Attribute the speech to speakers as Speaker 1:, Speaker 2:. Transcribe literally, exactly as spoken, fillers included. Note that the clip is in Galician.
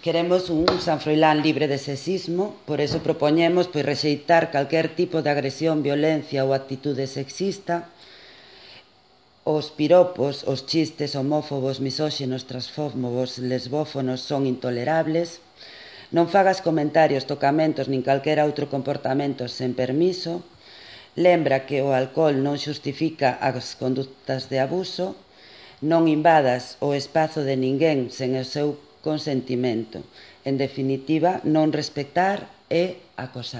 Speaker 1: Queremos un San Froilán libre de sexismo, por eso propoñemos pois, rexeitar calquer tipo de agresión, violencia ou actitude sexista. Os piropos, os chistes homófobos, misóxinos, transfóbos, lesbófonos son intolerables. Non fagas comentarios, tocamentos nin calquera outro comportamento sen permiso. Lembra que o alcohol non xustifica as conductas de abuso. Non invadas o espazo de ninguén sen o seu consentimento. En definitiva, non respectar é acosar.